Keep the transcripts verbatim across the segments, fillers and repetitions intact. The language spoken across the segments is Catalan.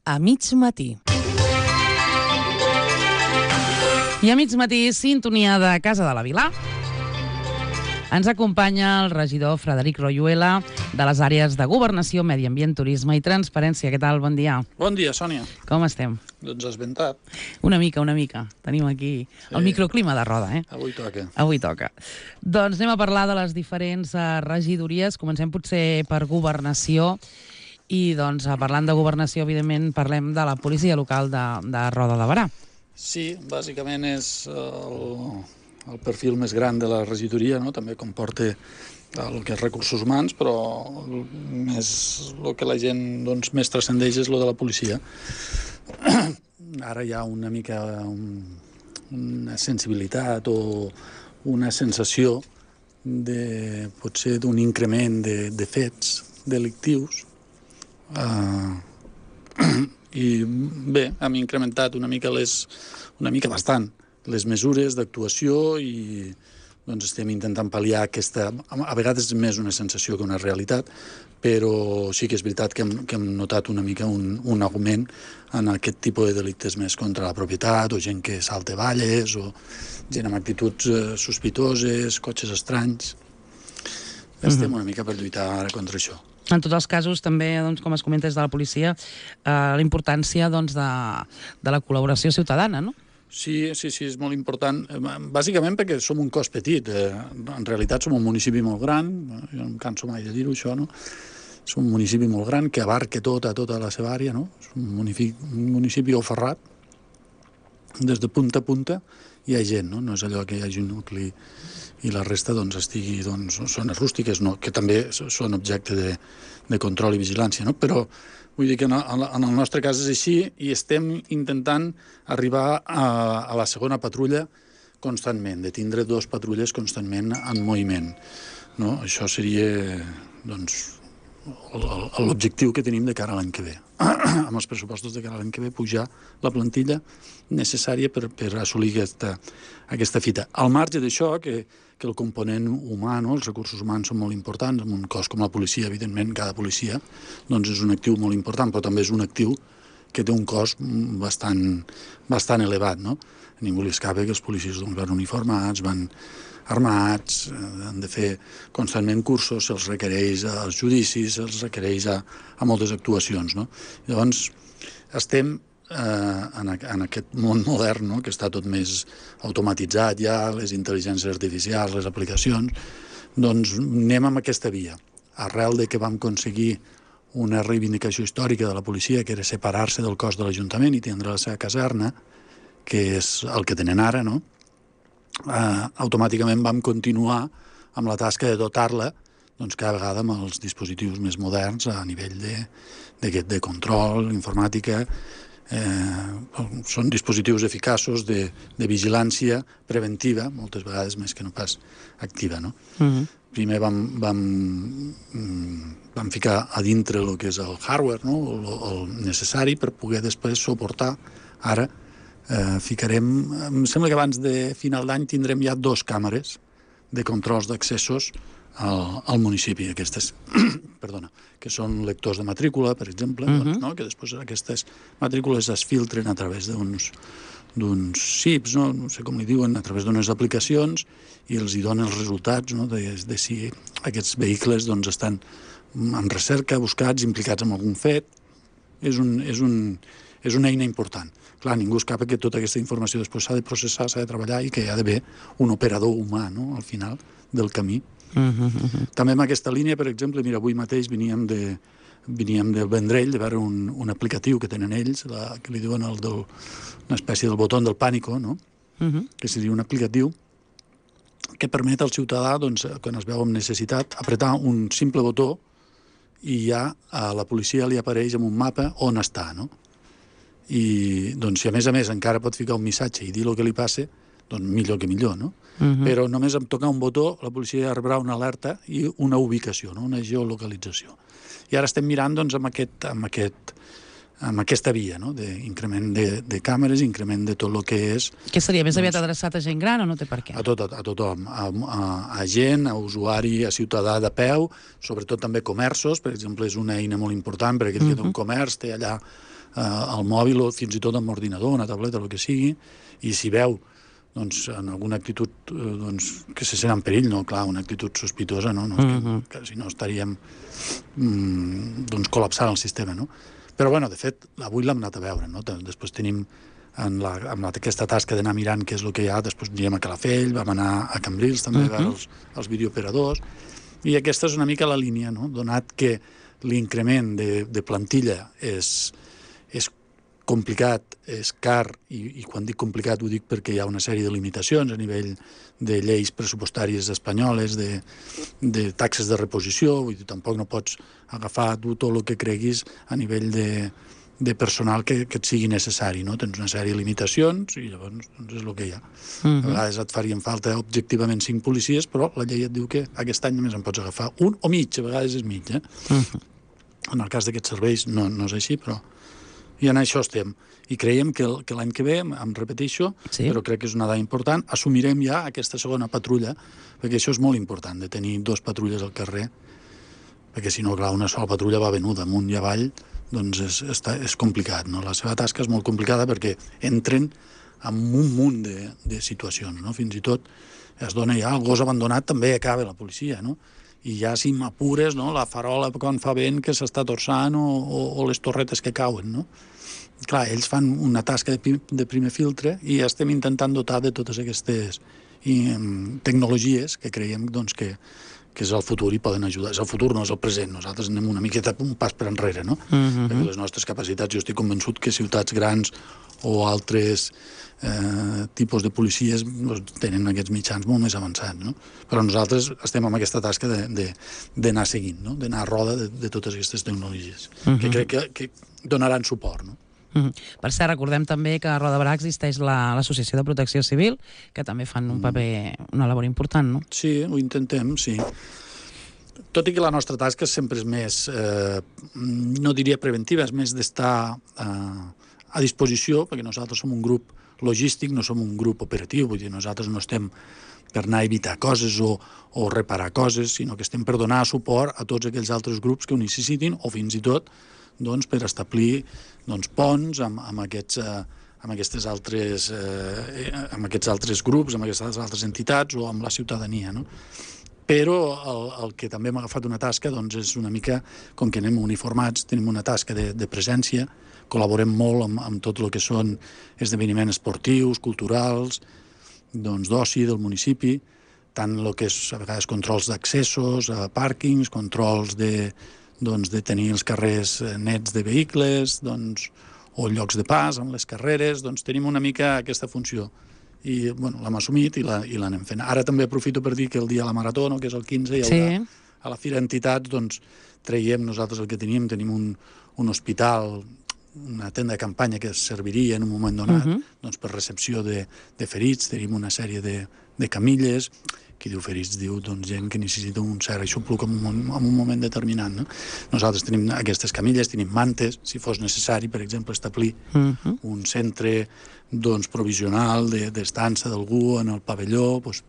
a mig matí. I a mig matí, sintonia de Casa de la Vila. Ens acompanya el regidor Frederic Royuela de les àrees de Governació, Medi Ambient, Turisme i Transparència. Què tal? Bon dia. Bon dia, Sònia. Com estem? Doncs esventat. Una mica, una mica. Tenim aquí sí. El microclima de Roda, eh? Avui toca. Avui toca. Doncs anem a parlar de les diferents uh, regidories. Comencem potser per Governació. I doncs, parlant de Governació, evidentment, parlem de la policia local de, de Roda de Berà. Sí, bàsicament és el, el perfil més gran de la regidoria, no? També comporta el que és recursos humans, però més, el que la gent doncs, més transcendeix és el de la policia. Ara hi ha una mica un, una sensibilitat o una sensació de, potser d'un increment de, de fets delictius. Uh, i bé, hem incrementat una mica les, una mica bastant les mesures d'actuació i doncs estem intentant pal·liar aquesta, a vegades és més una sensació que una realitat, però sí que és veritat que hem, que hem notat una mica un, un augment en aquest tipus de delictes més contra la propietat, o gent que salta valles, o gent amb actituds eh, sospitoses, cotxes estranys. Estem mm-hmm. una mica per lluitar ara contra això. En tots els casos, també, doncs, com es comenta des de la policia, eh, la importància doncs, de, de la col·laboració ciutadana, no? Sí, sí, sí, és molt important. Bàsicament perquè som un cos petit. En realitat som un municipi molt gran, jo no em canso mai de dir-ho, això, no? Som un municipi molt gran que abarca tota, tota la seva àrea, no? És un municipi, un municipi oferrat. Des de punta a punta hi ha gent, no? No és allò que hi hagi un nucli i la resta doncs, estigui doncs, zones rústiques, no? Que també són objecte de, de control i vigilància, no? Però vull dir que en el, en el nostre cas és així i estem intentant arribar a, a la segona patrulla constantment, de tindre dos patrulles constantment en moviment, no? Això seria doncs, l'objectiu que tenim de cara a l'any que ve. Amb els pressupostos de cara a l'any que ve, pujar la plantilla necessària per, per assolir aquesta, aquesta fita. Al marge d'això, que, que el component humà, no? Els recursos humans són molt importants, en un cos com la policia, evidentment, cada policia doncs és un actiu molt important, però també és un actiu que té un cost bastant, bastant elevat, no? A ningú li escapa que els policies doncs, van uniformats, van armats, han de fer constantment cursos, se'ls requereix als judicis, se'ls requereix a, a moltes actuacions, no? Llavors, estem eh, en, en aquest món modern, no? Que està tot més automatitzat ja, les intel·ligències artificials, les aplicacions, doncs anem amb aquesta via. Arrel de que vam aconseguir una reivindicació històrica de la policia, que era separar-se del cos de l'Ajuntament i tindre la seva caserna, que és el que tenen ara, no? Uh, automàticament vam continuar amb la tasca de dotar-la doncs, cada vegada amb els dispositius més moderns a nivell de, de, de control, informàtica. Eh, són dispositius eficaços de, de vigilància preventiva, moltes vegades més que no pas activa, no? Mm-hmm. Primer vam, vam, vam ficar a dintre el que és el hardware, no? el, el necessari per poder després suportar ara. Eh, ficarem, em sembla que abans de final d'any tindrem ja dos càmeres de controls d'accessos al, al municipi, aquestes, perdona, que són lectors de matrícula, per exemple, uh-huh. doncs, no? Que després aquestes matrícules es filtren a través d'uns d'uns xips, no? No sé com li diuen, a través d'unes aplicacions i els hi donen els resultats, no? de, de si aquests vehicles doncs, estan en recerca, buscats, implicats en algun fet. És, un, és, un, és una eina important. Clar, ningú escapa que tota aquesta informació després s'ha de processar, s'ha de treballar i que hi ha d'haver un operador humà, no?, al final del camí. Uh-huh, uh-huh. També en aquesta línia, per exemple, mira, avui mateix veníem, de, veníem del Vendrell de veure un, un aplicatiu que tenen ells, la, que li diuen el del, una espècie del botó del pànico, no? Uh-huh. Que seria un aplicatiu que permet al ciutadà, doncs, quan es veu amb necessitat, apretar un simple botó i ja a la policia li apareix en un mapa on està, no? I doncs, si a més a més encara pot ficar un missatge i dir el que li passa, doncs millor que millor, no? Uh-huh. Però només amb tocar un botó la policia rebrà una alerta i una ubicació, no? Una geolocalització. I ara estem mirant doncs, amb, aquest, amb, aquest, amb aquesta via, no? D'increment de, de càmeres, increment de tot el que és... Què seria? Més doncs, aviat adreçat a gent gran o no té per què? A, tot, a, a tothom, a, a, a gent, a usuari, a ciutadà de peu, sobretot també comerços, per exemple, és una eina molt important per aquell uh-huh. que té un comerç, té allà al mòbil o fins i tot amb ordinador, una tableta, el que sigui, i si veu doncs, en alguna actitud doncs, que se sent en perill, no? Clar, una actitud sospitosa, no? no uh-huh. que, que si no estaríem mm, doncs, col·lapsant el sistema, no? Però, bueno, de fet, avui l'hem anat a veure, no? Després tenim en la, amb la, aquesta tasca d'anar mirant què és el que hi ha, després anirem a Calafell, vam anar a Cambrils també uh-huh. a veure els, els videooperadors, i aquesta és una mica la línia, no? Donat que l'increment de, de plantilla és, és complicat, és car, i, i quan dic complicat ho dic perquè hi ha una sèrie de limitacions a nivell de lleis pressupostàries espanyoles, de, de taxes de reposició, vull dir, tampoc no pots agafar tu tot el que creguis a nivell de, de personal que, que et sigui necessari, no? Tens una sèrie de limitacions i llavors doncs, és el que hi ha. Uh-huh. A vegades et farien falta objectivament cinc policies, però la llei et diu que aquest any només en pots agafar un o mig, a vegades és mig, eh? Uh-huh. En el cas d'aquests serveis no, no és així, però i en això estem. I creiem que, que l'any que ve, em repeteixo, sí. però crec que és una dada important, assumirem ja aquesta segona patrulla, perquè això és molt important, de tenir dos patrulles al carrer, perquè si no, clar, una sola patrulla va venuda amunt i avall, doncs és, és, és complicat, no? La seva tasca és molt complicada perquè entren en un munt de, de situacions, no? Fins i tot es dona ja el gos abandonat, també acaba la policia, no? I ja si m'apures, no? La farola quan fa vent que s'està torçant o, o, o les torretes que cauen, no? Clar, ells fan una tasca de, de primer filtre i ja estem intentant dotar de totes aquestes i, um, tecnologies que creiem doncs, que, que és el futur i poden ajudar. És el futur, no és el present. Nosaltres anem una miqueta un pas per enrere, no? Uh-huh. Perquè les nostres capacitats, jo estic convençut que ciutats grans o altres eh, tipus de policies doncs, tenen aquests mitjans molt més avançats, no? Però nosaltres estem amb aquesta tasca d'anar seguint, no? D'anar a roda de, de totes aquestes tecnologies, uh-huh. que crec que, que donaran suport, no? Uh-huh. Per cert, recordem també que a Roda de Berà existeix l'Associació de Protecció Civil, que també fan un paper, una labor important, no? Sí, ho intentem, sí. Tot i que la nostra tasca sempre és més, eh, no diria preventiva, és més d'estar eh, a disposició, perquè nosaltres som un grup logístic, no som un grup operatiu, vull dir, nosaltres no estem per anar a evitar coses o, o reparar coses, sinó que estem per donar suport a tots aquells altres grups que ho necessitin o fins i tot doncs, per establir doncs, ponts amb, amb, aquests, eh, amb, aquestes altres, eh, amb aquests altres grups, amb aquestes altres entitats o amb la ciutadania, no? Però el, el que també hem agafat una tasca doncs, és una mica, com que anem uniformats, tenim una tasca de, de presència, col·laborem molt amb, amb tot el que són esdeveniments esportius, culturals, doncs, d'oci del municipi, tant el que és a vegades controls d'accessos, a pàrquings, controls de doncs, de tenir els carrers nets de vehicles, doncs, o llocs de pas amb les carreres, doncs tenim una mica aquesta funció. I bueno, l'hem assumit i l'anem fent. Ara també aprofito per dir que el dia de la Marató, no, que és el quinze, hi haurà sí. a la Fira Entitats, doncs traiem nosaltres el que teníem, tenim un, un hospital, una tenda de campanya que serviria en un moment donat uh-huh. doncs, per recepció de, de ferits, tenim una sèrie de, de camilles, qui diu ferits diu doncs, gent que necessita un cert aixopluc en un, en un moment determinat. No? Nosaltres tenim aquestes camilles, tenim mantes, si fos necessari, per exemple, establir uh-huh. un centre doncs, provisional d'estança d'algú en el pavelló, doncs,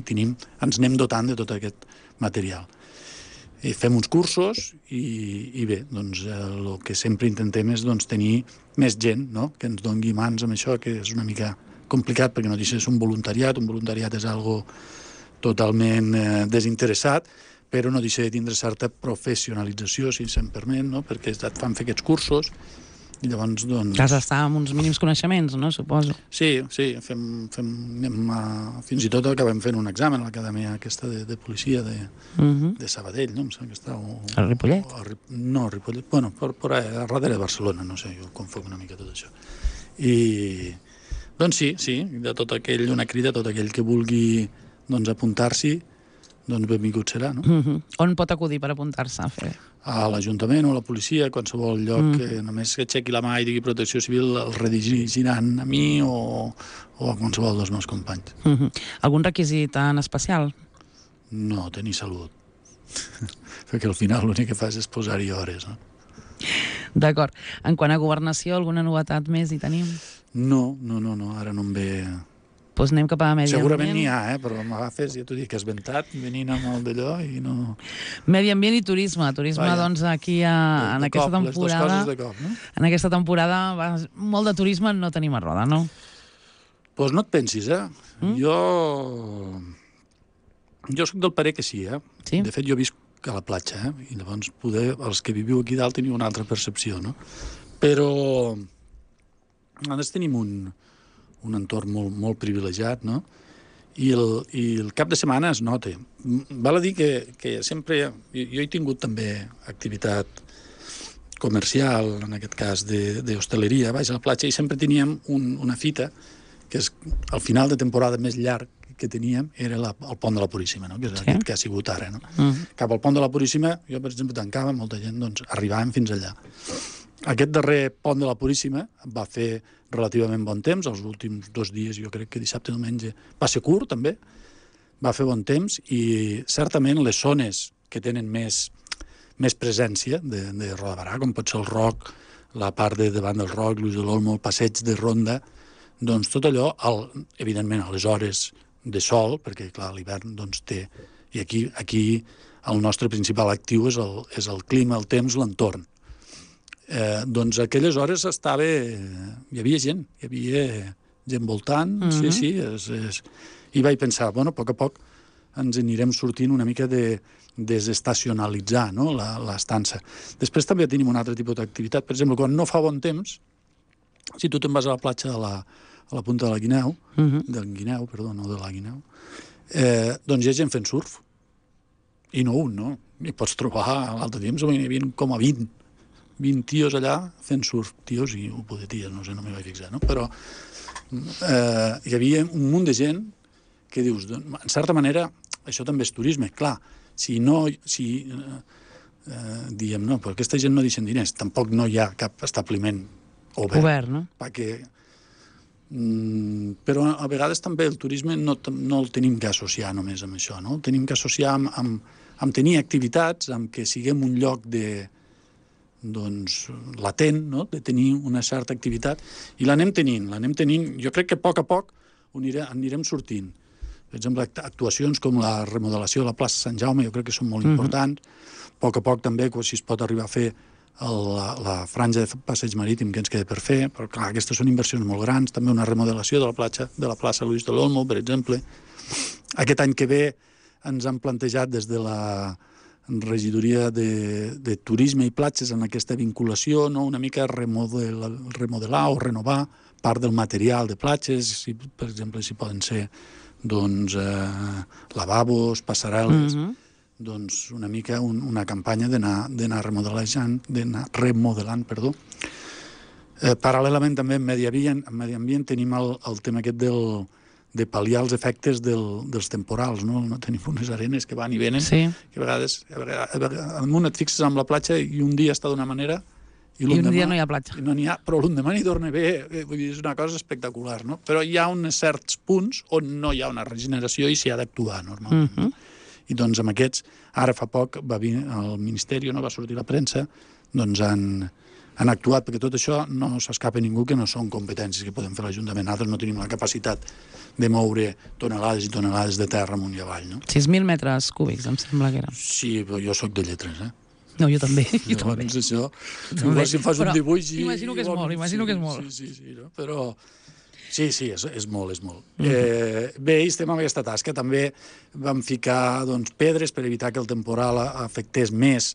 tenim, ens anem dotant de tot aquest material. I fem uns cursos i, i bé, doncs, el que sempre intentem és doncs, tenir més gent, no? Que ens doni mans amb això, que és una mica complicat perquè no deixa de ser un voluntariat, un voluntariat és algo totalment eh, desinteressat, però no deixa de tindre certa professionalització, si se'm permet, no? Perquè et fan fer aquests cursos i llavors, doncs... Has d'estar amb uns mínims coneixements, no? Suposo. Sí, sí, fem, fem, anem a... fins i tot acabem fent un examen a l'acadèmia aquesta de, de policia de, uh-huh. de Sabadell, no? Em sembla que està... O, a Ripollet? O, a, no, a Ripollet, bueno, per, per a, a darrere de Barcelona, no sé, jo confoc una mica tot això. I, doncs sí, sí, de tot aquell, una crida a tot aquell que vulgui doncs apuntar-s'hi, doncs benvingut serà, no? Uh-huh. On pot acudir per apuntar-se a fer? A l'Ajuntament o a la policia, a qualsevol lloc uh-huh. que només que aixequi la mà i digui Protecció Civil, el redirigiran a mi o, o a qualsevol dels meus companys. Uh-huh. Algun requisit en especial? No, tenir salut. Perquè al final l'únic que fas és posar-hi hores, no? D'acord. En quant a governació, alguna novetat més hi tenim? No, no, no, no. Ara no em ve... Doncs anem cap a medi Segurament ambient. n'hi ha, eh? Però m'agafes, ja t'ho dic, que és ventat, venint amb el d'allò i no... Medi ambient i turisme. Turisme, Vaja. doncs, aquí a, De, en de aquesta cop, les dues temporada... coses de cop, no? En aquesta temporada, va, molt de turisme no tenim a Roda, no? Doncs pues no et pensis, eh? Mm? Jo... Jo soc del parer que sí, eh? Sí? De fet, jo visc a la platja, eh? I llavors, poder, els que viviu aquí dalt teniu una altra percepció, no? Però... Nosaltres tenim un, un entorn molt, molt privilegiat, no? I el, I el cap de setmana es nota. Val a dir que, que sempre... Jo, jo he tingut també activitat comercial, en aquest cas d'hostaleria, baix a la platja, i sempre teníem un, una fita, que és el final de temporada més llarg que teníem, era la, el pont de la Puríssima, no? Que és sí? Aquest que ha sigut ara. No? Uh-huh. Cap al pont de la Puríssima, jo, per exemple, tancava, molta gent, doncs, arribàvem fins allà. Aquest darrer pont de la Puríssima va fer relativament bon temps, els últims dos dies, jo crec que dissabte i diumenge, va ser curt, també, va fer bon temps, i certament les zones que tenen més, més presència de, de Roda de Barà, com pot ser el Roc, la part de davant del Roc, Lluís de l'Olmo, el passeig de Ronda, doncs tot allò, el, evidentment, a les hores de sol, perquè, clar, l'hivern doncs, té... I aquí, aquí el nostre principal actiu és el, és el clima, el temps, l'entorn. Eh, doncs aquelles hores estava... Hi havia gent, hi havia gent voltant, uh-huh. sí, sí, és, és... i vaig pensar, bueno, a poc a poc ens anirem sortint una mica de desestacionalitzar, no?, l'estança. Després també tenim un altre tipus d'activitat. Per exemple, quan no fa bon temps, si tu te'n vas a la platja de la, a la punta de la Guineu, uh-huh. del Guineu, perdó, no de la Guineu, eh, doncs hi ha gent fent surf. I no un, no? I pots trobar, a l'altre temps, hi havia com a vint, vint tios allà fent surf. Tios i un pot de ties, no sé, no m'hi vaig fixar, no? Però eh, hi havia un munt de gent que dius, en certa manera, això també és turisme. Clar, si no... Si, eh, eh, diem, no, però aquesta gent no deixen diners, tampoc no hi ha cap establiment obert. Obert, no? Perquè, mm, però a vegades també el turisme no, no el tenim que associar només amb això, no? El tenim que associar amb, amb, amb tenir activitats, amb que siguem un lloc de, doncs, latent, no? De tenir una certa activitat, i l'anem tenint, l'anem tenint. Jo crec que a poc a poc anirem, anirem sortint. Per exemple, actuacions com la remodelació de la plaça Sant Jaume, jo crec que són molt mm-hmm. importants. A poc a poc també, si es pot arribar a fer el, la, la franja de passeig marítim que ens queda per fer, però clar, aquestes són inversions molt grans. També una remodelació de la platja, de la plaça Lluís de l'Olmo, per exemple. Aquest any que ve ens han plantejat des de la regidoria de, de turisme i platges en aquesta vinculació, no? Una mica remodelar, remodelar o renovar part del material de platges, si, per exemple, si poden ser doncs, eh, lavabos, passarel·les, mm-hmm. doncs una mica un, una campanya d'anar remodelant, d'anar remodelant, perdó. Eh, paral·lelament també en medi ambient, en medi ambient tenim el, el tema aquest del, de pal·liar els efectes del, dels temporals, no? No tenim unes arenes que van i venen, sí. que a vegades, a vegades, a vegades amunt et fixes amb la platja i un dia està d'una manera i, I un dia no hi ha platja. No n'hi ha, però l'endemà n'hi torna bé, vull dir, és una cosa espectacular, no? Però hi ha uns certs punts on no hi ha una regeneració i s'hi ha d'actuar normalment. Mm-hmm. I doncs amb aquests, ara fa poc va vir el Ministeri, no va sortir la premsa, doncs han, han actuat, perquè tot això no s'escapa ningú, que no són competències que podem fer l'Ajuntament. Nosaltres no tenim la capacitat de moure tonelades i tonelades de terra amunt i avall, no? sis mil metres cúbics, em sembla que era. Sí, però jo sóc de lletres, eh? No, jo també. Jo Llavors, també. això, també. Si em fas però un dibuix... I, imagino que és molt, imagino sí, que és molt. Sí, sí, sí, no? Però... Sí, sí, és, és molt, és molt. Mm. Eh, bé, estem amb aquesta tasca. També vam ficar doncs, pedres per evitar que el temporal afectés més,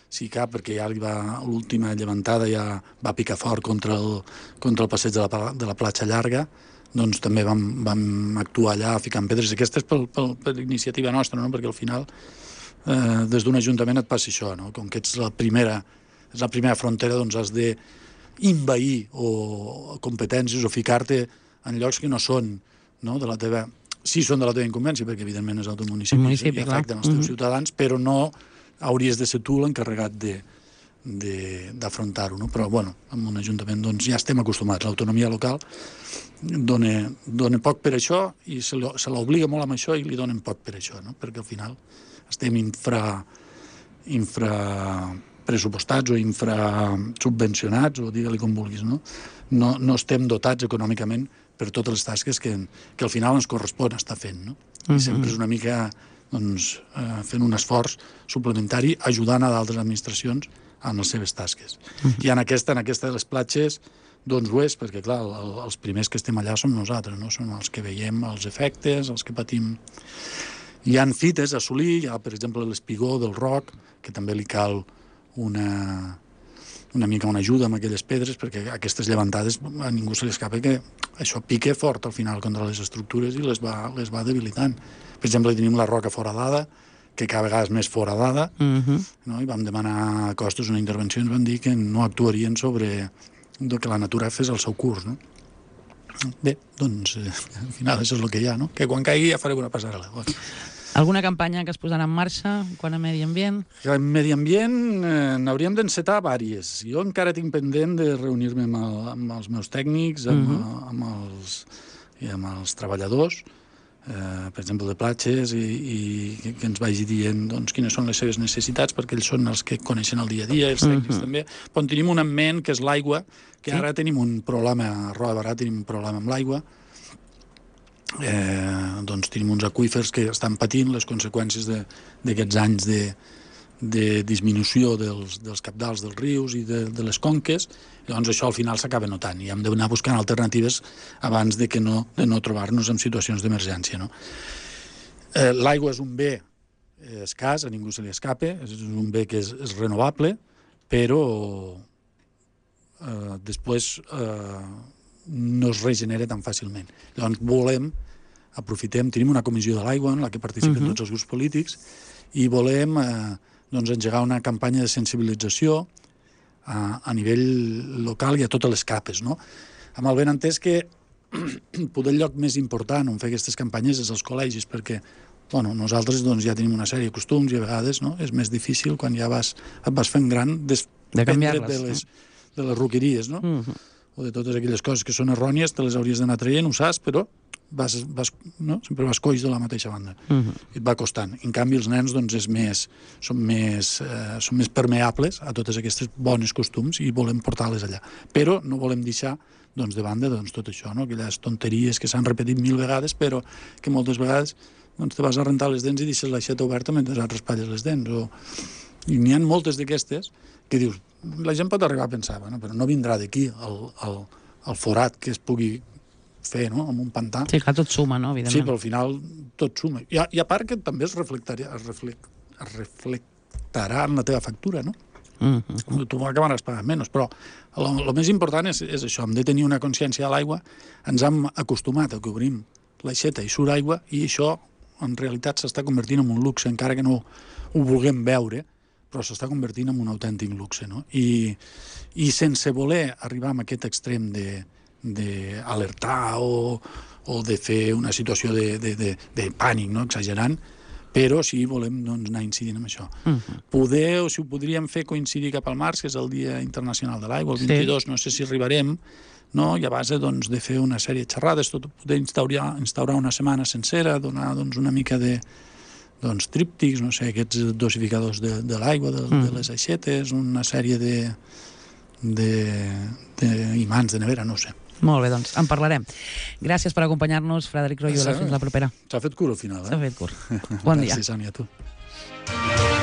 si cap, perquè ja l'última llevantada ja va picar fort contra el, contra el passeig de la, de la platja llarga. Doncs també vam, vam actuar allà ficant pedres. Aquesta és per, per, per iniciativa nostra, no? Perquè al final, eh, des d'un ajuntament et passa això, no? Com que ets la primera, és la primera frontera, doncs has de invair o competències o ficar-te en llocs que no són, no, de la teva... Sí són de la teva incumbència, perquè evidentment és el teu municipi, municipi i afecten els teus mm-hmm. ciutadans, però no hauries de ser tu l'encarregat de d'afrontar-ho, no? Però, bueno, en un ajuntament doncs, ja estem acostumats. L'autonomia local dona, dona poc per això i se l'obliga molt amb això i li donen poc per això, no? Perquè al final estem infra, infra pressupostats o infrasubvencionats, o digue-li com vulguis, no? No, no estem dotats econòmicament per totes les tasques que, que al final ens correspon estar fent, no? I sempre és una mica doncs, eh, fent un esforç suplementari ajudant a d'altres administracions en les seves tasques. I en aquesta, en aquesta de les platges, doncs ho és, perquè clar, el, els primers que estem allà som nosaltres, no? Som els que veiem els efectes, els que patim. Hi ha fites a assolir, hi ha, per exemple, l'espigó del roc, que també li cal una, una mica una ajuda amb aquelles pedres, perquè aquestes llevantades a ningú se li escapa que això pique fort al final contra les estructures i les va, les va debilitant. Per exemple, tenim la roca foradada, que cada vegada és més foradada, uh-huh. no? I vam demanar a Costes una intervenció i ens van dir que no actuarien sobre que la natura fes el seu curs, no? Bé, doncs, eh, al final això és el que hi ha, no? Que quan caigui ja farem una passarel·la. Bueno. Alguna campanya que es posarà en marxa quan a medi ambient? En medi ambient eh, n'hauríem d'encetar vàries. Jo encara tinc pendent de reunir-me amb, el, amb els meus tècnics, amb, uh-huh. amb, els, i amb els treballadors, eh, per exemple, de platges, i, i que ens vagi dient doncs, quines són les seves necessitats, perquè ells són els que coneixen el dia a dia, els tècnics uh-huh. també. Però en tenim un en ment, que és l'aigua, que sí? Ara tenim un problema, a Roda de Barà tenim un problema amb l'aigua. Eh, doncs tenim uns aqüífers que estan patint les conseqüències d'aquests anys de, de disminució dels, dels cabdals dels rius i de, de les conques. Llavors això al final s'acaba notant i hem d'anar buscant alternatives abans de, que no, de no trobar-nos en situacions d'emergència, no? Eh, l'aigua és un bé escàs, a ningú se li escape, és un bé que és, és renovable, però eh, després eh, no es regenera tan fàcilment. Llavors volem, aprofitem, tenim una comissió de l'aigua en la que participen uh-huh. tots els grups polítics i volem eh, doncs, engegar una campanya de sensibilització a, a nivell local i a totes les capes, no? Amb el benentès que poder el lloc més important on fer aquestes campanyes és els col·legis, perquè bueno, nosaltres doncs, ja tenim una sèrie de costums i a vegades no, és més difícil quan ja vas, et vas fent gran desprendre't de, de, les, de les roqueries, no? Uh-huh. O de totes aquelles coses que són errònies, te les hauries d'anar traient, ho saps, però vas, vas, no? sempre vas coix de la mateixa banda. Uh-huh. I et va costant. En canvi, els nens doncs, és més, són, més, eh, són més permeables a totes aquestes bones costums i volem portar-les allà. Però no volem deixar doncs, de banda doncs, tot això, no? Aquelles tonteries que s'han repetit mil vegades, però que moltes vegades doncs, te vas a rentar les dents i deixes l'aixeta oberta mentre et raspalles les dents. O... I n'hi ha moltes d'aquestes que dius, la gent pot arribar a pensar, bueno, però no vindrà d'aquí el, el, el forat que es pugui fer, no?, amb un pantà. Sí, clar, tot suma, no?, evidentment. Sí, però al final tot suma. I a, i a part que també es reflectarà, es reflect, es reflectarà en la teva factura, no? Uh-huh. Tu acabaràs pagant menys, però el més important és, és això, hem de tenir una consciència de l'aigua. Ens hem acostumat a que obrim l'aixeta i surt aigua i això en realitat s'està convertint en un luxe, encara que no ho vulguem veure, però s'està convertint en un autèntic luxe, no? I, i sense voler arribar a aquest extrem d'alertar o, o de fer una situació de, de, de, de pànic, no?, exagerant, però sí volem doncs, anar incidint en això. Uh-huh. Poder, o si ho podríem fer coincidir cap al març, que és el Dia Internacional de l'Aigua, el vint-i-dos, sí. No sé si arribarem, no? I a base doncs, de fer una sèrie de xerrades, tot, poder instaurar, instaurar una setmana sencera, donar doncs, una mica de doncs, tríptics, no sé, aquests dosificadors de, de l'aigua, de, mm. de les aixetes, una sèrie de, de, de imants de nevera, no sé. Molt bé, doncs, en parlarem. Gràcies per acompanyar-nos, Frederic Royuela. Fins la propera. S'ha fet curt al final, eh? S'ha fet curt. Bon dia. Gràcies, Sònia, a tu.